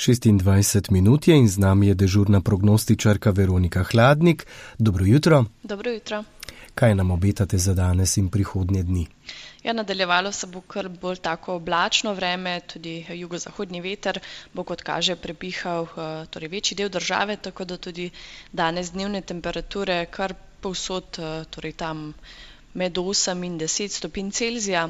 26 minut je in z nami je dežurna prognostičarka Veronika Hladnik. Dobro jutro. Dobro jutro. Kaj nam obetate za danes in prihodnje dni? Ja, nadaljevalo se bo kar bolj tako oblačno vreme, tudi jugozahodni veter bo, kot kaže, prepihal večji del države, tako da tudi danes dnevne temperature kar povsod, tam med 8 in 10 stopinj Celzija.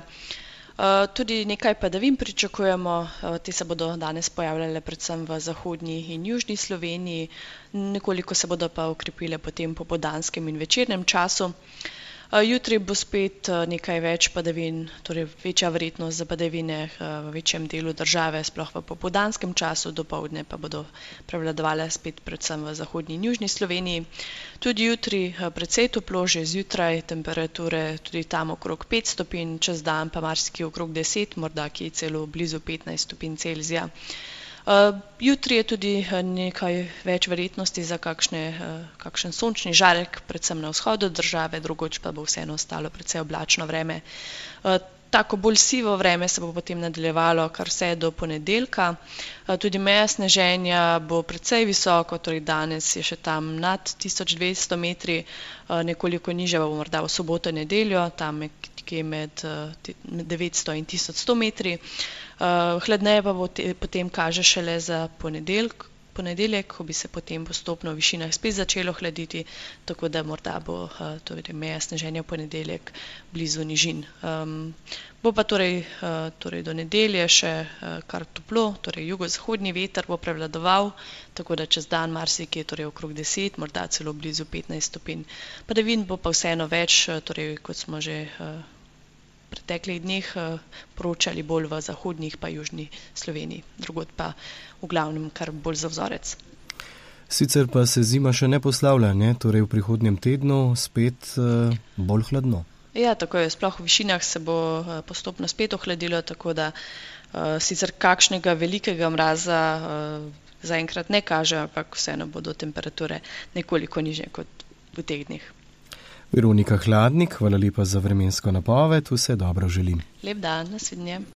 Tudi nekaj padavin pričakujemo, te se bodo danes pojavljale predvsem v zahodnji in južni Sloveniji, nekoliko se bodo pa okrepile potem po popoldanskem in večernem času. Jutri bo spet nekaj več padavin, torej večja verjetnost za padavine v večjem delu države, sploh v popoldanskem času, dopoldne pa bodo prevladovale spet predvsem v zahodnji in južni Sloveniji. Tudi jutri precej toplo, že zjutraj temperature tudi tam okrog 5 stopinj, čez dan pa marsikje okrog 10, morda kje celo blizu 15 stopinj Celzija. Jutri je tudi nekaj več verjetnosti za kakšen sončni žarek, predvsem na vzhodu države, drugoč pa bo vseeno ostalo precej oblačno vreme. Tako bolj sivo vreme se bo potem nadaljevalo kar vse do ponedeljka. Tudi meja sneženja bo precej visoko, torej danes je še tam nad 1200 metri, nekoliko nižja bo morda v soboto in nedeljo, tam nekje med 900 in 1100 metri. Hladneje pa bo potem kaže šele za ponedeljek, ko bi se potem postopno v višinah spet začelo hladiti, tako da morda bo meja sneženja v ponedeljek blizu nižin. Bo pa torej do nedelje še kar toplo, torej jugozahodni veter bo prevladoval, tako da čez dan marsikje okrog 10, morda celo blizu 15 stopinj. Padavin bo pa vseeno več, kot smo že v preteklih dneh poročali, bolj v zahodnih pa južni Sloveniji, drugod pa v glavnem kar bolj za vzorec. Sicer pa se zima še ne poslavlja, ne? Torej v prihodnjem tednu spet bolj hladno. Ja, tako je, sploh v višinah se bo postopno spet ohladilo, tako da sicer kakšnega velikega mraza zaenkrat ne kaže, ampak vseeno bodo temperature nekoliko nižje kot v teh dneh. Veronika Hladnik, hvala lepa za vremensko napoved, vse dobro želim. Lep dan, nasvidenje.